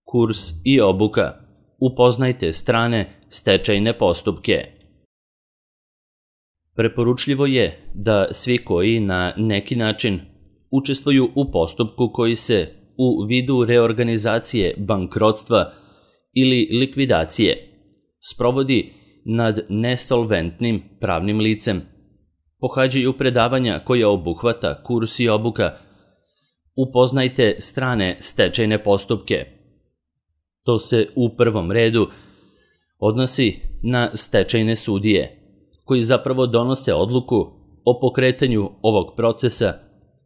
Kurs i obuka. Upoznajte strane stečajne postupke. Preporučljivo je da svi koji na neki način učestvuju u postupku koji se u vidu reorganizacije, bankrotstva ili likvidacije sprovodi nad nesolventnim pravnim licem, pohađaju predavanja koja obuhvata kurs i obuka. Upoznajte strane stečajne postupke. To se u prvom redu odnosi na stečajne sudije, koji zapravo donose odluku o pokretanju ovog procesa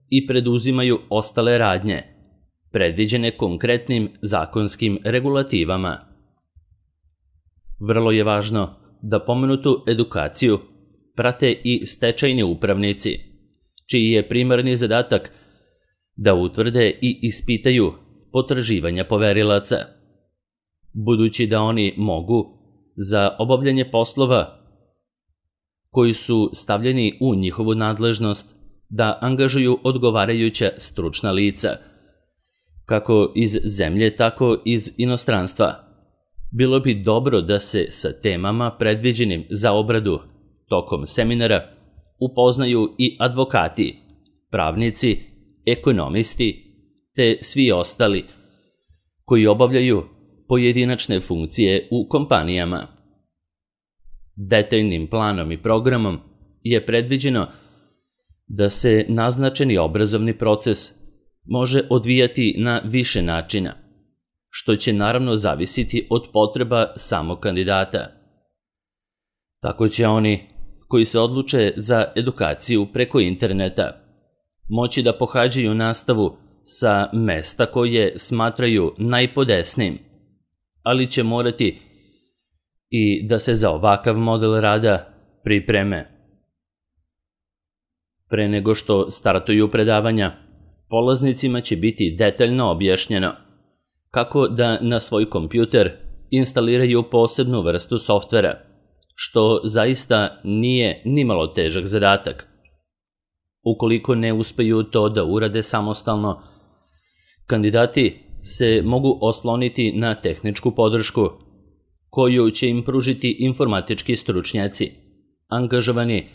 i preduzimaju ostale radnje, predviđene konkretnim zakonskim regulativama. Vrlo je važno da pomenutu edukaciju prate i stečajni upravnici, čiji je primarni zadatak da utvrde i ispitaju potraživanja poverilaca, budući da oni mogu za obavljanje poslova koji su stavljeni u njihovu nadležnost da angažuju odgovarajuća stručna lica, kako iz zemlje, tako iz inostranstva. Bilo bi dobro da se sa temama predviđenim za obradu tokom seminara upoznaju i advokati, pravnici, ekonomisti, te svi ostali koji obavljaju pojedinačne funkcije u kompanijama. Detaljnim planom i programom je predviđeno da se naznačeni obrazovni proces može odvijati na više načina, što će naravno zavisiti od potreba samog kandidata. Tako će oni koji se odluče za edukaciju preko interneta moći da pohađaju nastavu sa mesta koje smatraju najpodesnijim, ali će morati i da se za ovakav model rada pripreme. Pre nego što startuju predavanja, polaznicima će biti detaljno objašnjeno kako da na svoj kompjuter instaliraju posebnu vrstu softvera, što zaista nije nimalo težak zadatak. Ukoliko ne uspeju to da urade samostalno, kandidati se mogu osloniti na tehničku podršku koju će im pružiti informatički stručnjaci, angažovani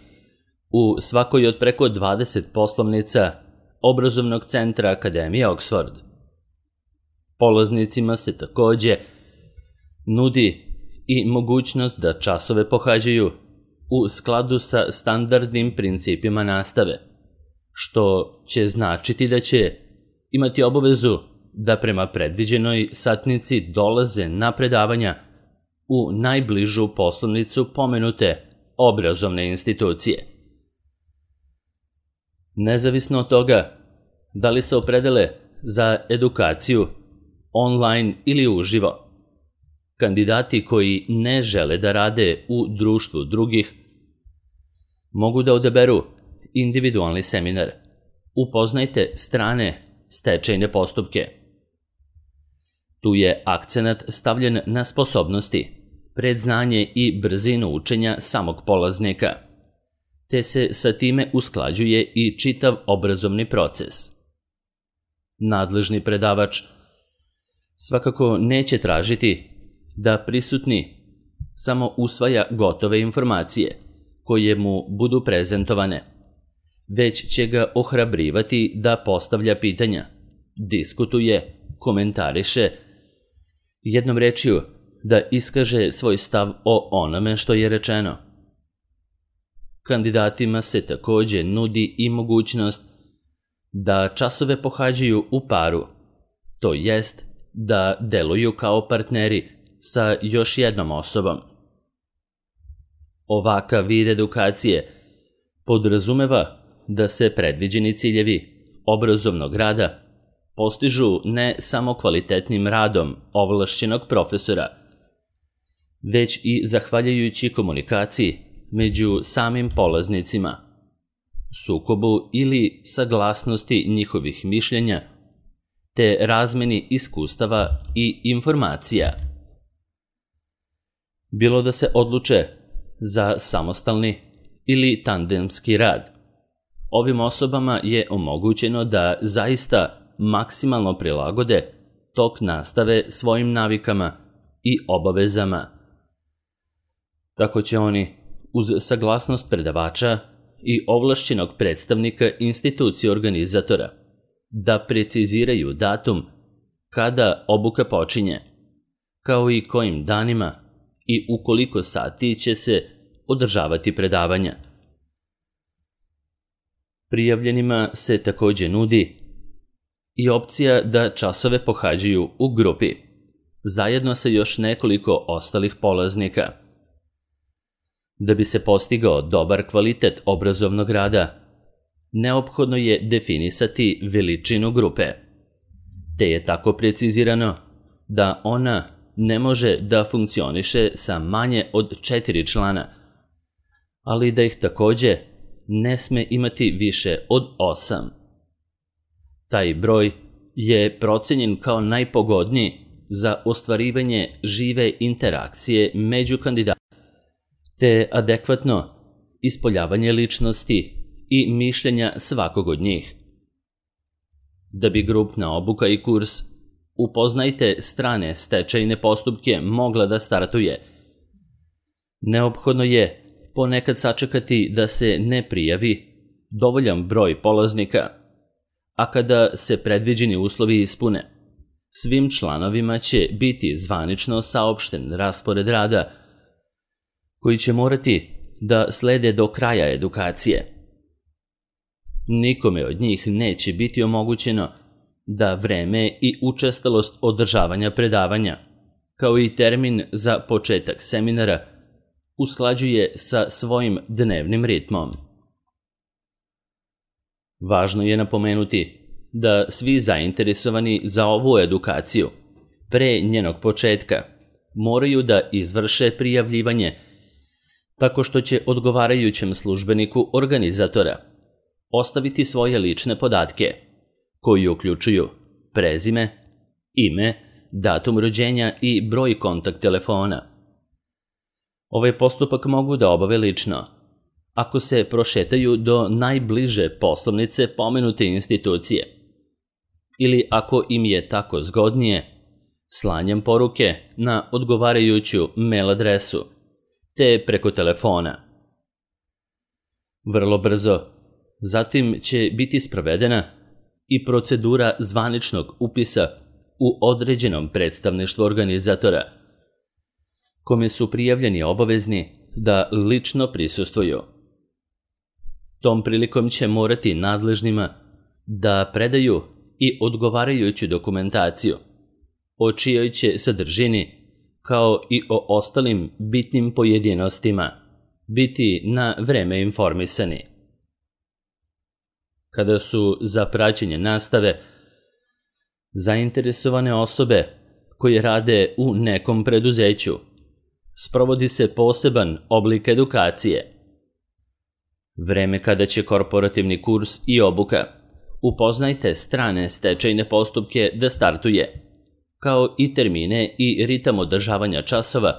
u svakoj od preko 20 poslovnica obrazovnog centra Akademije Oxford. Polaznicima se takođe nudi i mogućnost da časove pohađaju u skladu sa standardnim principima nastave, što će značiti da će imati obavezu da prema predviđenoj satnici dolaze na predavanja u najbližu poslovnicu pomenute obrazovne institucije. Nezavisno od toga da li se opredele za edukaciju online ili uživo, kandidati koji ne žele da rade u društvu drugih mogu da odaberu individualni seminar. Upoznajte strane stečajne postupke. Tu je akcenat stavljen na sposobnosti, predznanje i brzinu učenja samog polaznika, te se sa time usklađuje i čitav obrazovni proces. Nadležni predavač svakako neće tražiti da prisutni samo usvaja gotove informacije koje mu budu prezentovane, već će ga ohrabrivati da postavlja pitanja, diskutuje, komentariše, jednom rečju da iskaže svoj stav o onome što je rečeno. Kandidatima se takođe nudi i mogućnost da časove pohađaju u paru, to jest da deluju kao partneri sa još jednom osobom. Ovakav vid edukacije podrazumeva da se predviđeni ciljevi obrazovnog rada postižu ne samo kvalitetnim radom ovlašćenog profesora, već i zahvaljujući komunikaciji među samim polaznicima, sukobu ili saglasnosti njihovih mišljenja, te razmeni iskustava i informacija. Bilo da se odluče za samostalni ili tandemski rad, ovim osobama je omogućeno da zaista maksimalno prilagode tok nastave svojim navikama i obavezama. Tako će oni, uz saglasnost predavača i ovlašćenog predstavnika institucije organizatora, da preciziraju datum kada obuka počinje, kao i kojim danima i u koliko sati će se održavati predavanja. Prijavljenima se takođe nudi i opcija da časove pohađaju u grupi, zajedno sa još nekoliko ostalih polaznika. Da bi se postigao dobar kvalitet obrazovnog rada, neophodno je definisati veličinu grupe, te je tako precizirano da ona ne može da funkcioniše sa manje od 4 člana, ali da ih takođe ne sme imati više od 8. Taj broj je procenjen kao najpogodniji za ostvarivanje žive interakcije među kandidatima, te adekvatno ispoljavanje ličnosti i mišljenja svakog od njih. Da bi grupna obuka i kurs Upoznajte strane stečajne postupke mogla da startuje, neophodno je ponekad sačekati da se ne prijavi dovoljan broj polaznika, a kada se predviđeni uslovi ispune, svim članovima će biti zvanično saopšten raspored rada koji će morati da slede do kraja edukacije. Nikome od njih neće biti omogućeno da vreme i učestalost održavanja predavanja, kao i termin za početak seminara, usklađuje sa svojim dnevnim ritmom. Važno je napomenuti da svi zainteresovani za ovu edukaciju pre njenog početka moraju da izvrše prijavljivanje tako što će odgovarajućem službeniku organizatora ostaviti svoje lične podatke, koji uključuju prezime, ime, datum rođenja i broj kontakt telefona. Ovaj postupak mogu da obave lično, ako se prošetaju do najbliže poslovnice pomenute institucije, ili ako im je tako zgodnije, slanjem poruke na odgovarajuću mail adresu, te preko telefona. Vrlo brzo, zatim će biti sprovedena i procedura zvaničnog upisa u određenom predstavništvu organizatora, kome su prijavljeni obavezni da lično prisustvuju. Tom prilikom će morati nadležnima da predaju i odgovarajuću dokumentaciju, o čijoj će sadržini, kao i o ostalim bitnim pojedinostima, biti na vreme informisani. Kada su za praćenje nastave zainteresovane osobe koje rade u nekom preduzeću, sprovodi se poseban oblik edukacije. Vreme kada će korporativni kurs i obuka Upoznajte strane stečajne postupke da startuje, kao i termine i ritam održavanja časova,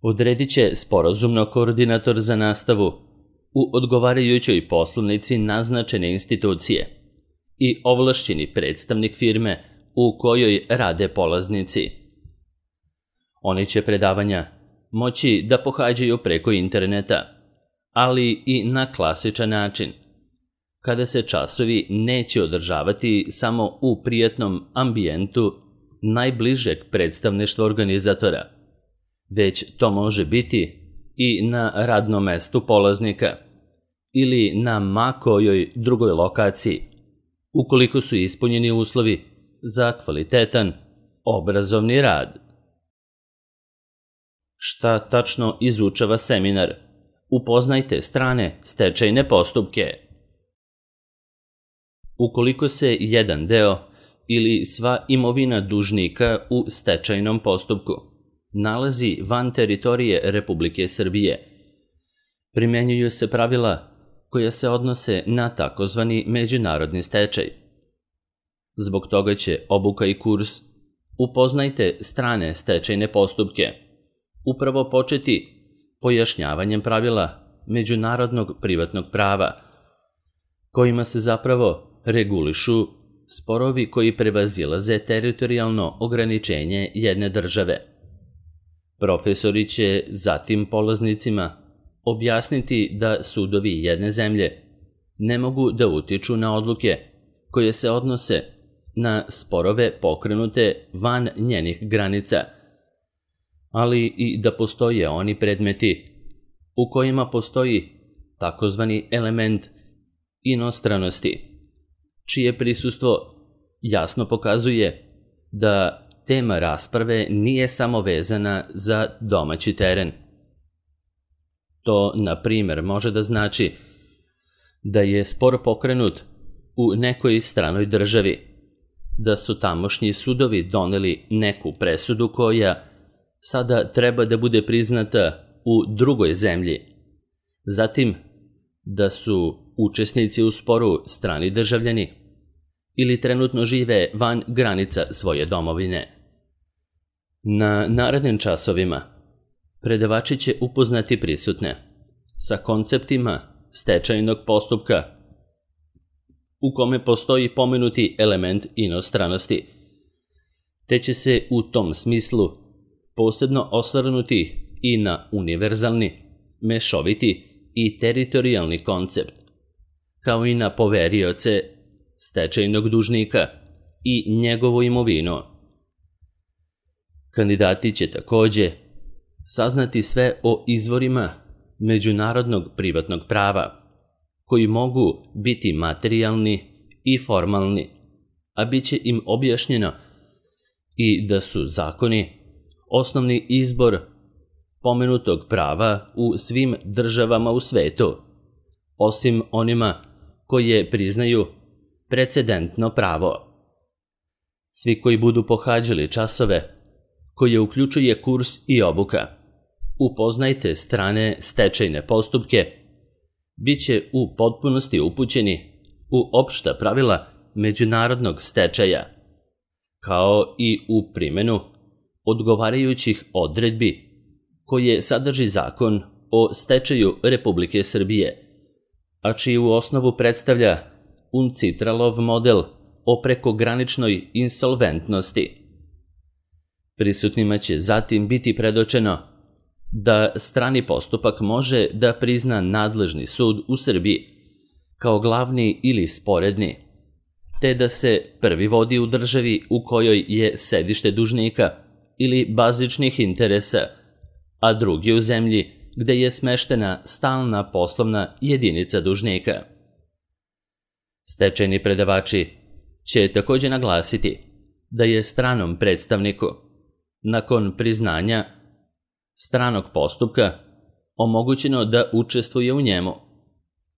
odredit će sporazumno koordinator za nastavu u odgovarajućoj poslovnici naznačene institucije i ovlašćeni predstavnik firme u kojoj rade polaznici. Oni će predavanja moći da pohađaju preko interneta, ali i na klasičan način, kada se časovi neće održavati samo u prijatnom ambijentu najbližeg predstavništva organizatora, već to može biti i na radnom mestu polaznika ili na ma kojoj drugoj lokaciji, ukoliko su ispunjeni uslovi za kvalitetan obrazovni rad. Šta tačno izučava seminar? Upoznajte strane stečajne postupke. Ukoliko se jedan deo ili sva imovina dužnika u stečajnom postupku nalazi van teritorije Republike Srbije, primenjuju se pravila koja se odnose na takozvani međunarodni stečaj. Zbog toga će obuka i kurs Upoznajte strane stečajne postupke upravo početi pojašnjavanjem pravila međunarodnog privatnog prava, kojima se zapravo regulišu sporovi koji prevazilaze teritorijalno ograničenje jedne države. Profesori će zatim polaznicima objasniti da sudovi jedne zemlje ne mogu da utiču na odluke koje se odnose na sporove pokrenute van njenih granica, ali i da postoje oni predmeti u kojima postoji takozvani element inostranosti, čije prisustvo jasno pokazuje da tema rasprave nije samo vezana za domaći teren. To, na primjer, može da znači da je spor pokrenut u nekoj stranoj državi, da su tamošnji sudovi doneli neku presudu koja sada treba da bude priznata u drugoj zemlji. Zatim, da su učesnici u sporu strani državljani ili trenutno žive van granica svoje domovine. Na narednim časovima predavači će upoznati prisutne sa konceptima stečajnog postupka u kome postoji pomenuti element inostranosti, te će se u tom smislu posebno osvrnuti i na univerzalni, mešoviti i teritorijalni koncept, kao i na poverioce stečajnog dužnika i njegovu imovinu. Kandidati će takođe saznati sve o izvorima međunarodnog privatnog prava, koji mogu biti materijalni i formalni, a bit će im objašnjeno i da su zakoni osnovni izbor pomenutog prava u svim državama u svetu, osim onima koje priznaju precedentno pravo. Svi koji budu pohađali časove koje uključuje kurs i obuka, upoznajte strane stečajne postupke, bit će u potpunosti upućeni u opšta pravila međunarodnog stečaja, kao i u primjenu odgovarajućih odredbi koje sadrži Zakon o stečaju Republike Srbije, a čiju osnovu predstavlja UNCITRAL-ov model o prekograničnoj insolventnosti. Prisutnima će zatim biti predočeno da strani postupak može da prizna nadležni sud u Srbiji kao glavni ili sporedni, te da se prvi vodi u državi u kojoj je sedište dužnika ili bazičnih interesa, a drugi u zemlji gde je smeštena stalna poslovna jedinica dužnika. Stečajni predavači će takođe naglasiti da je stranom predstavniku, nakon priznanja stranog postupka, omogućeno da učestvuje u njemu,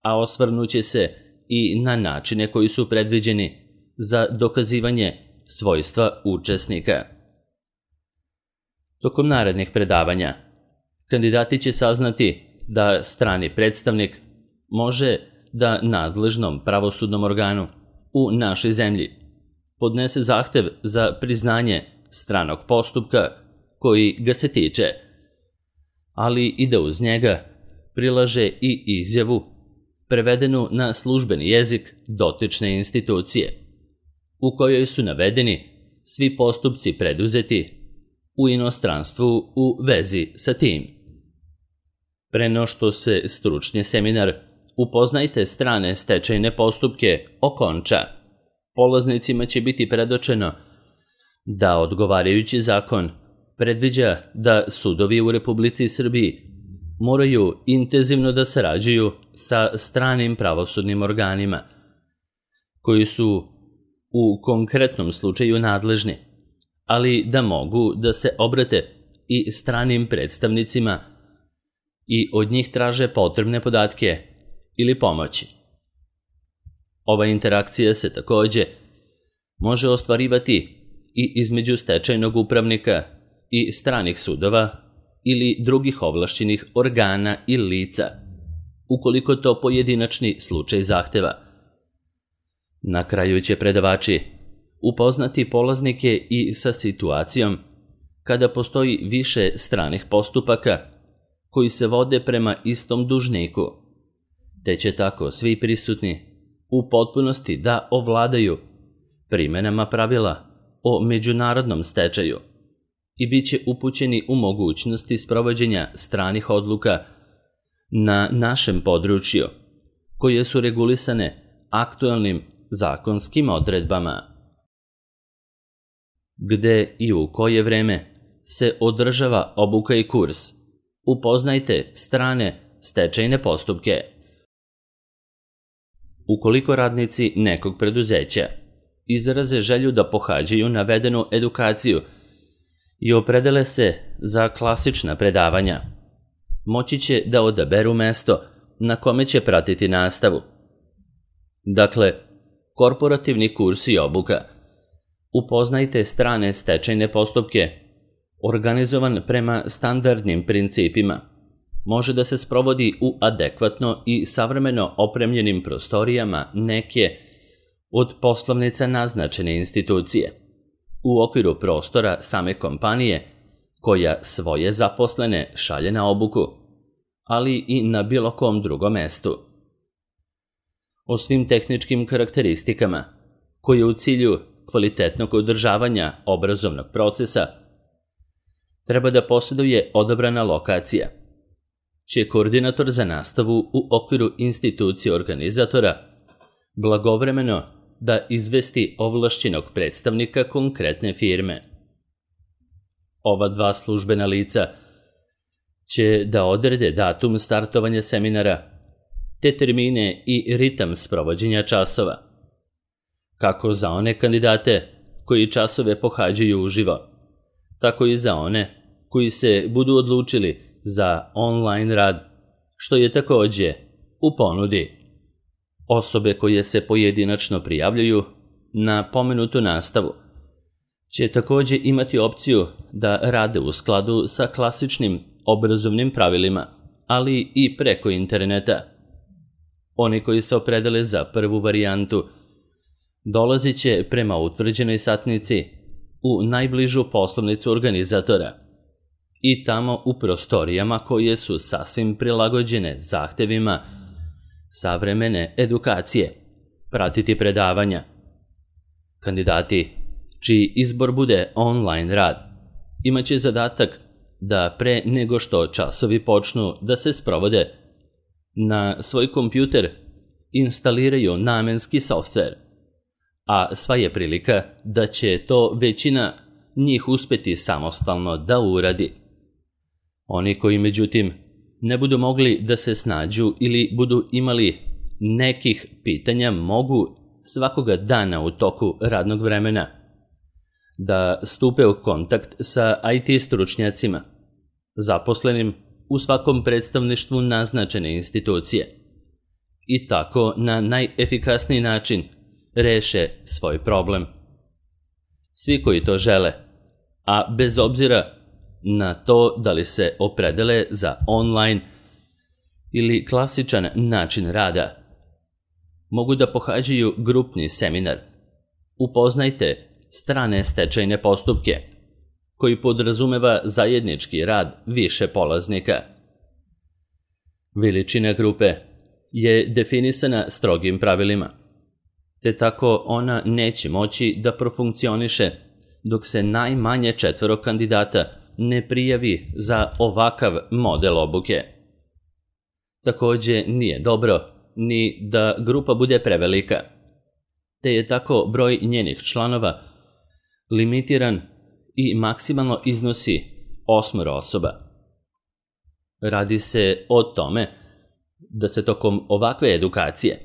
a osvrnuće se i na načine koji su predviđeni za dokazivanje svojstva učesnika. Tokom narednih predavanja, kandidati će saznati da strani predstavnik može da nadležnom pravosudnom organu u našoj zemlji podnese zahtev za priznanje stranog postupka koji ga se tiče, ali i da uz njega prilaže i izjavu prevedenu na službeni jezik dotične institucije, u kojoj su navedeni svi postupci preduzeti u inostranstvu u vezi sa tim. Pre no što se stručni seminar Upoznajte strane stečajne postupke okonča, polaznicima će biti predočeno da odgovarajući zakon predviđa da sudovi u Republici Srbiji moraju intenzivno da sarađuju sa stranim pravosudnim organima, koji su u konkretnom slučaju nadležni, ali da mogu da se obrate i stranim predstavnicima i od njih traže potrebne podatke ili pomoći. Ova interakcija se takođe može ostvarivati i između stečajnog upravnika i stranih sudova ili drugih ovlašćenih organa i lica, ukoliko to pojedinačni slučaj zahteva. Na kraju će predavači upoznati polaznike i sa situacijom kada postoji više stranih postupaka koji se vode prema istom dužniku, te će tako svi prisutni u potpunosti da ovladaju primenama pravila o međunarodnom stečaju i bit će upućeni u mogućnosti sprovođenja stranih odluka na našem području, koje su regulisane aktuelnim zakonskim odredbama. Gde i u koje vreme se održava obuka i kurs, upoznajte strane stečajne postupke. Ukoliko radnici nekog preduzeća izraze želju da pohađaju navedenu edukaciju i opredele se za klasična predavanja, moći će da odaberu mesto na kome će pratiti nastavu. Dakle, korporativni kurs i obuka. Upoznajte strane stečajne postupke, organizovan prema standardnim principima. Može da se sprovodi u adekvatno i savremeno opremljenim prostorijama neke od poslovnica naznačene institucije, u okviru prostora same kompanije koja svoje zaposlene šalje na obuku, ali i na bilo kom drugom mestu. O svim tehničkim karakteristikama, koje u cilju kvalitetnog održavanja obrazovnog procesa treba da posjeduje odabrana lokacija, će koordinator za nastavu u okviru institucije organizatora blagovremeno da izvesti ovlašćenog predstavnika konkretne firme. Ova dva službena lica će da odrede datum startovanja seminara, te termine i ritam sprovođenja časova, kako za one kandidate koji časove pohađaju uživo, tako i za one koji se budu odlučili za online rad, što je takođe u ponudi. Osobe koje se pojedinačno prijavljuju na pomenutu nastavu će takođe imati opciju da rade u skladu sa klasičnim obrazovnim pravilima, ali i preko interneta. Oni koji se opredele za prvu varijantu dolazit će prema utvrđenoj satnici u najbližu poslovnicu organizatora i tamo u prostorijama koje su sasvim prilagođene zahtevima savremene edukacije pratiti predavanja. Kandidati čiji izbor bude online rad imaće zadatak da pre nego što časovi počnu da se sprovode na svoj kompjuter instaliraju namenski softver, a sva je prilika da će to većina njih uspeti samostalno da uradi. Oni koji međutim ne budu mogli da se snađu ili budu imali nekih pitanja mogu svakoga dana u toku radnog vremena da stupe u kontakt sa IT stručnjacima, zaposlenim u svakom predstavništvu naznačene institucije, i tako na najefikasniji način reše svoj problem. Svi koji to žele, a bez obzira na to da li se opredele za online ili klasičan način rada, mogu da pohađaju grupni seminar. Upoznajte strane stečajne postupke, koji podrazumeva zajednički rad više polaznika. Veličina grupe je definisana strogim pravilima, te tako ona neće moći da profunkcioniše dok se najmanje 4 kandidata ne prijavi za ovakav model obuke. Takođe nije dobro ni da grupa bude prevelika, te je tako broj njenih članova limitiran i maksimalno iznosi 8 osoba. Radi se o tome da se tokom ovakve edukacije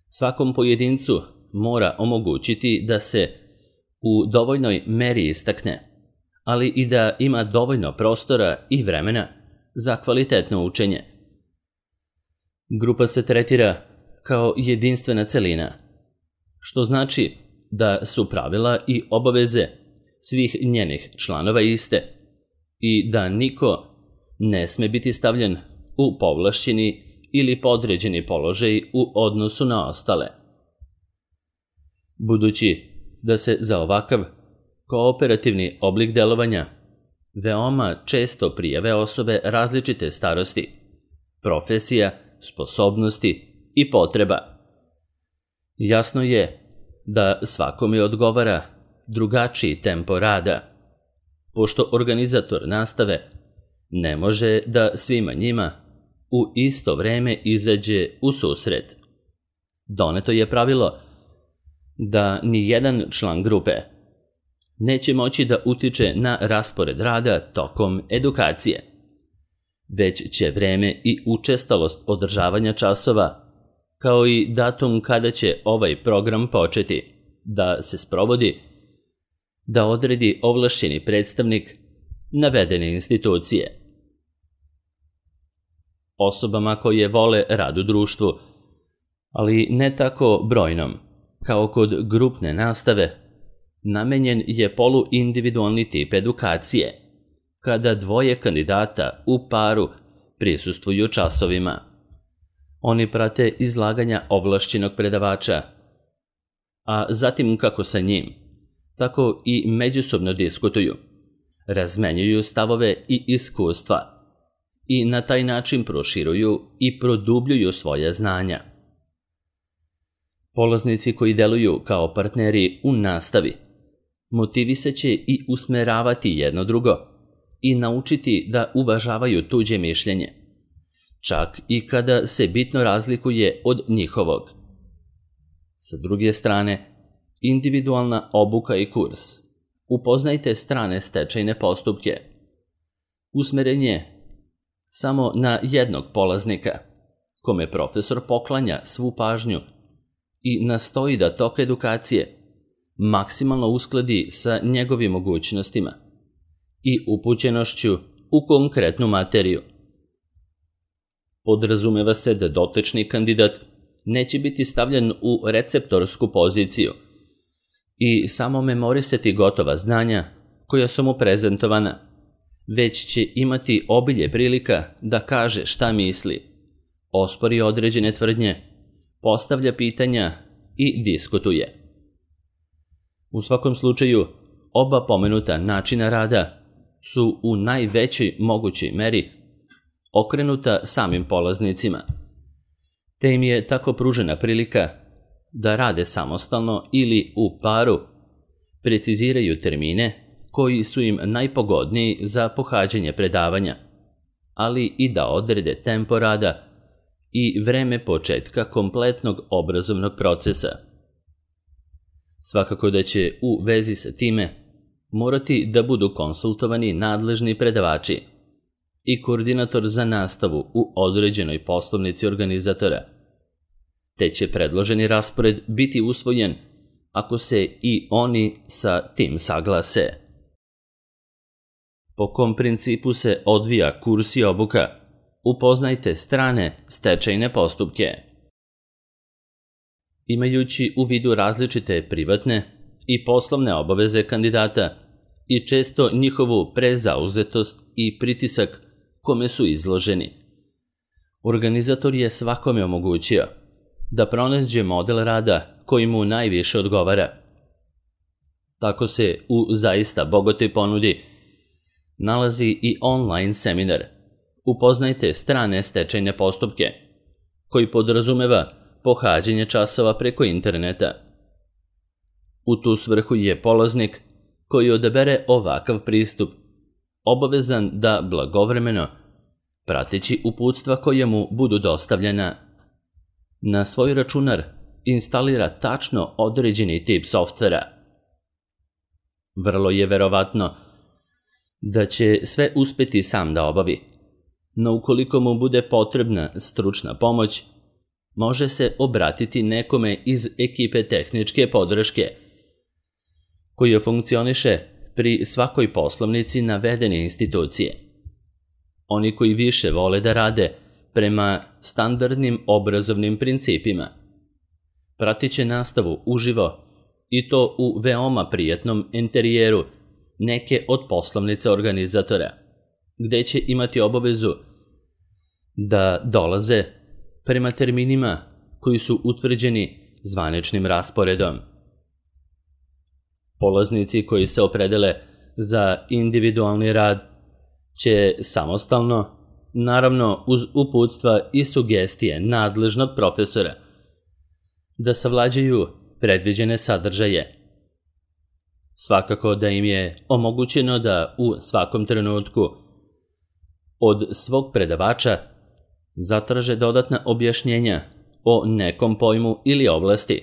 svakom pojedincu mora omogućiti da se u dovoljnoj meri istakne, ali i da ima dovoljno prostora i vremena za kvalitetno učenje. Grupa se tretira kao jedinstvena celina, što znači da su pravila i obaveze svih njenih članova iste i da niko ne sme biti stavljen u povlašćeni ili podređeni položaj u odnosu na ostale. Budući da se za ovakav kooperativni oblik delovanja veoma često prijave osobe različite starosti, profesija, sposobnosti i potreba, jasno je da svakome odgovara drugačiji tempo rada, pošto organizator nastave ne može da svima njima u isto vreme izađe u susret. Doneto je pravilo da ni jedan član grupe neće moći da utiče na raspored rada tokom edukacije, već će vreme i učestalost održavanja časova, kao i datum kada će ovaj program početi da se sprovodi, da odredi ovlašćeni predstavnik navedene institucije. Osobama koje vole rad u društvu, ali ne tako brojnom, kao kod grupne nastave, namenjen je poluindividualni tip edukacije, kada dvoje kandidata u paru prisustvuju časovima. Oni prate izlaganja ovlašćenog predavača, a zatim kako sa njim, tako i međusobno diskutuju, razmenjuju stavove i iskustva i na taj način proširuju i produbljuju svoja znanja. Polaznici koji deluju kao partneri u nastavi motivisaće i usmeravati jedno drugo i naučiti da uvažavaju tuđe mišljenje, čak i kada se bitno razlikuje od njihovog. Sa druge strane, individualna obuka i kurs. Upoznajte strane stečajne postupke. Usmeren je samo na jednog polaznika, kome profesor poklanja svu pažnju i nastoji da tok edukacije maksimalno uskladi sa njegovim mogućnostima i upućenošću u konkretnu materiju. Podrazumeva se da dotični kandidat neće biti stavljen u receptorsku poziciju i samo memorisati gotova znanja koja su mu prezentovana, već će imati obilje prilika da kaže šta misli, ospori određene tvrdnje, postavlja pitanja i diskutuje. U svakom slučaju, oba pomenuta načina rada su u najvećoj mogućoj meri okrenuta samim polaznicima, te im je tako pružena prilika da rade samostalno ili u paru, preciziraju termine koji su im najpogodniji za pohađanje predavanja, ali i da odrede tempo rada i vreme početka kompletnog obrazovnog procesa. Svakako da će u vezi sa time morati da budu konsultovani nadležni predavači i koordinator za nastavu u određenoj poslovnici organizatora, te će predloženi raspored biti usvojen ako se i oni sa tim saglase. Po kom principu se odvija kurs i obuka? Upoznajte strane stečajne postupke. Imajući u vidu različite privatne i poslovne obaveze kandidata i često njihovu prezauzetost i pritisak kome su izloženi, organizator je svakome omogućio da pronađe model rada koji mu najviše odgovara. Tako se u zaista bogatoj ponudi nalazi i online seminar Upoznajte strane stečajne postupke, koji podrazumeva pohađanje časova preko interneta. U tu svrhu je polaznik koji odabere ovakav pristup obavezan da blagovremeno, prateći uputstva koja mu budu dostavljena, na svoj računar instalira tačno određeni tip softvera. Vrlo je verovatno da će sve uspeti sam da obavi, no ukoliko mu bude potrebna stručna pomoć, može se obratiti nekome iz ekipe tehničke podrške, koja funkcioniše pri svakoj poslovnici navedene institucije. Oni koji više vole da rade prema standardnim obrazovnim principima, pratit će nastavu uživo i to u veoma prijatnom interijeru neke od poslovnica organizatora, gde će imati obavezu da dolaze prema terminima koji su utvrđeni zvaničnim rasporedom. Polaznici koji se opredele za individualni rad će samostalno, naravno uz uputstva i sugestije nadležnog profesora, da savlađaju predviđene sadržaje. Svakako da im je omogućeno da u svakom trenutku od svog predavača zatraže dodatna objašnjenja o nekom pojmu ili oblasti,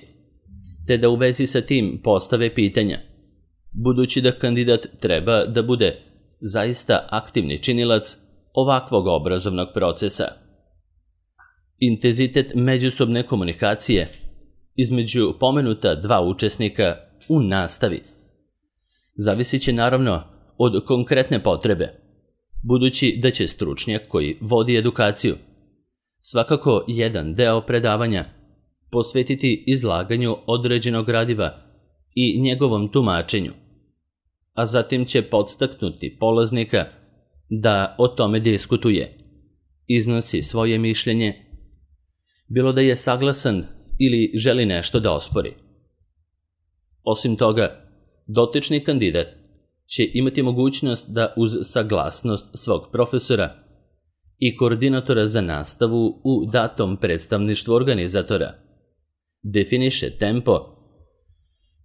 te da u vezi sa tim postave pitanja, budući da kandidat treba da bude zaista aktivni činilac ovakvog obrazovnog procesa. Intenzitet međusobne komunikacije između pomenuta dva učesnika u nastavi zavisit će naravno od konkretne potrebe, budući da će stručnjak koji vodi edukaciju svakako jedan deo predavanja posvetiti izlaganju određenog gradiva i njegovom tumačenju, a zatim će podstaknuti polaznika da o tome diskutuje, iznosi svoje mišljenje, bilo da je saglasan ili želi nešto da ospori. Osim toga, dotični kandidat će imati mogućnost da uz saglasnost svog profesora i koordinatora za nastavu u datom predstavništvu organizatora definiše tempo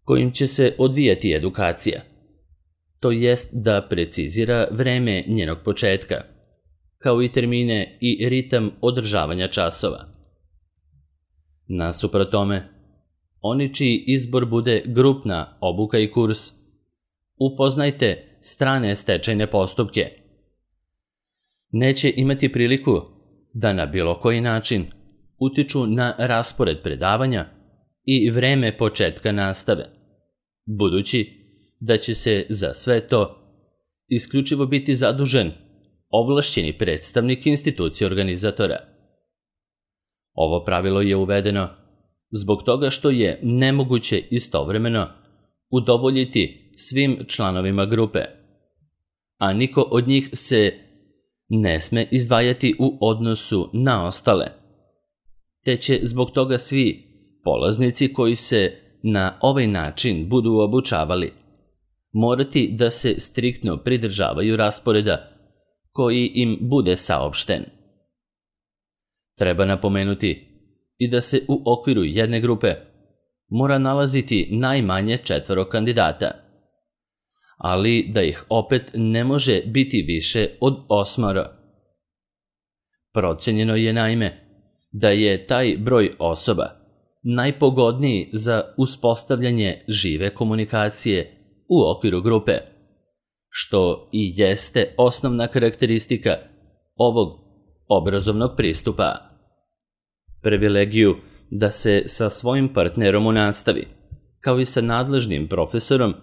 kojim će se odvijati edukacija, to jest da precizira vreme njenog početka, kao i termine i ritam održavanja časova. Nasuprot tome, oni čiji izbor bude grupna obuka i kurs, upoznajte strane stečajne postupke, neće imati priliku da na bilo koji način utiču na raspored predavanja i vreme početka nastave, budući da će se za sve to isključivo biti zadužen ovlašćeni predstavnik institucije organizatora. Ovo pravilo je uvedeno zbog toga što je nemoguće istovremeno udovoljiti svim članovima grupe, a niko od njih se ne sme izdvajati u odnosu na ostale, te će zbog toga svi polaznici koji se na ovaj način budu obučavali morati da se striktno pridržavaju rasporeda koji im bude saopšten. Treba napomenuti i da se u okviru jedne grupe mora nalaziti najmanje 4 kandidata, ali da ih opet ne može biti više od 8. Procenjeno je naime da je taj broj osoba najpogodniji za uspostavljanje žive komunikacije u okviru grupe, što i jeste osnovna karakteristika ovog obrazovnog pristupa. Privilegiju da se sa svojim partnerom u nastavi, kao i sa nadležnim profesorom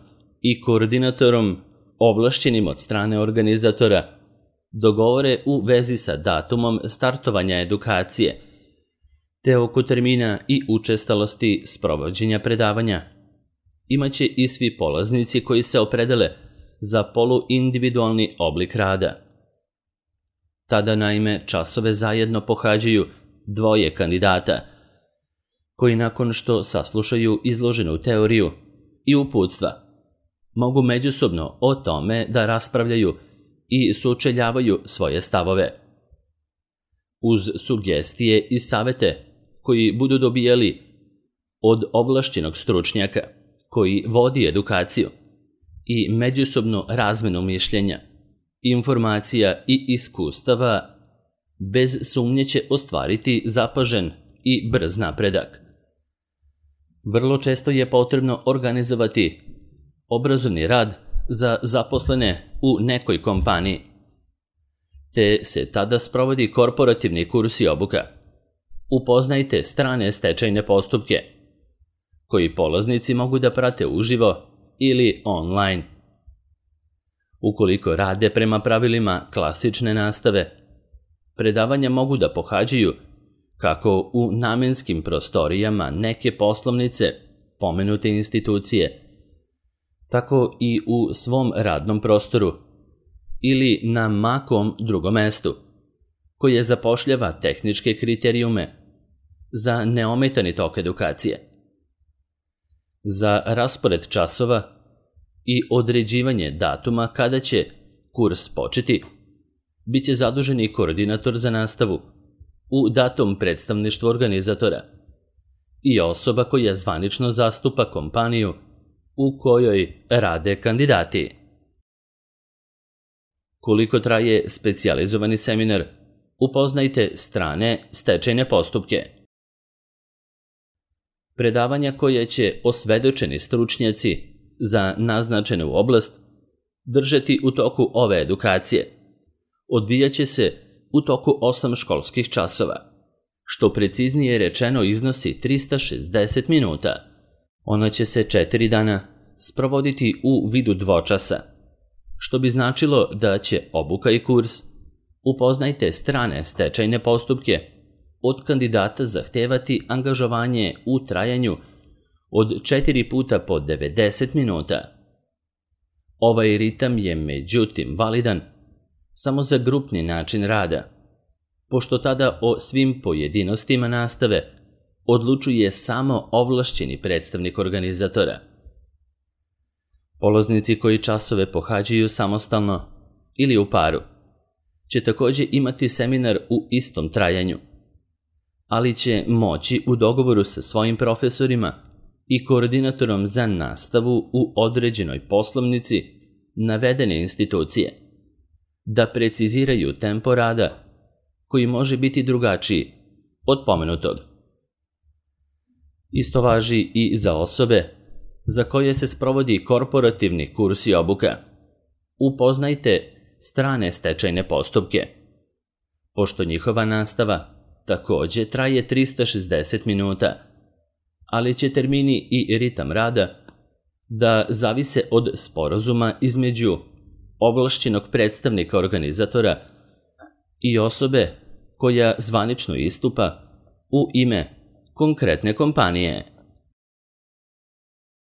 i koordinatorom ovlašćenim od strane organizatora, dogovore u vezi sa datumom startovanja edukacije, te oko termina i učestalosti sprovođenja predavanja imaće i svi polaznici koji se opredele za poluindividualni oblik rada. Tada naime časove zajedno pohađaju 2 kandidata, koji nakon što saslušaju izloženu teoriju i uputstva, mogu međusobno o tome da raspravljaju i sučeljavaju svoje stavove. Uz sugestije i savete koji budu dobijali od ovlašćenog stručnjaka koji vodi edukaciju i međusobnu razmenu mišljenja, informacija i iskustava, bez sumnje će ostvariti zapažen i brz napredak. Vrlo često je potrebno organizovati obrazovni rad za zaposlene u nekoj kompaniji, te se tada sprovodi korporativni kurs i obuka. Upoznajte strane stečajne postupke, koji polaznici mogu da prate uživo ili online. Ukoliko rade prema pravilima klasične nastave, predavanja mogu da pohađaju kako u namenskim prostorijama neke poslovnice pomenute institucije, tako i u svom radnom prostoru ili na makom drugom mestu, koje zapošljava tehničke kriterijume za neometani tok edukacije. Za raspored časova i određivanje datuma kada će kurs početi, biće zaduženi koordinator za nastavu u datom predstavništvu organizatora, i osoba koja zvanično zastupa kompaniju u kojoj rade kandidati. Koliko traje specijalizovani seminar? Upoznajte strane stečajne postupke. Predavanja koje će osvedočeni stručnjaci za naznačenu oblast držati u toku ove edukacije odvijaće se u toku 8 školskih časova, što preciznije rečeno iznosi 360 minuta. Ona će se 4 dana sprovoditi u vidu dvočasa, što bi značilo da će obuka i kurs Upoznajte strane stečajne postupke od kandidata zahtevati angažovanje u trajanju od 4 puta po 90 minuta. Ovaj ritam je međutim validan samo za grupni način rada, pošto tada o svim pojedinostima nastave odlučuje samo ovlašćeni predstavnik organizatora. Polaznici koji časove pohađaju samostalno ili u paru će također imati seminar u istom trajanju, ali će moći u dogovoru sa svojim profesorima i koordinatorom za nastavu u određenoj poslovnici navedene institucije da preciziraju tempo rada koji može biti drugačiji od pomenutog. Isto važi i za osobe za koje se sprovodi korporativni kurs i obuka. Upoznajte strane stečajne postupke, pošto njihova nastava također traje 360 minuta, ali će termini i ritam rada da zavise od sporazuma između ovlašćenog predstavnika organizatora i osobe koja zvanično istupa u ime konkretne kompanije.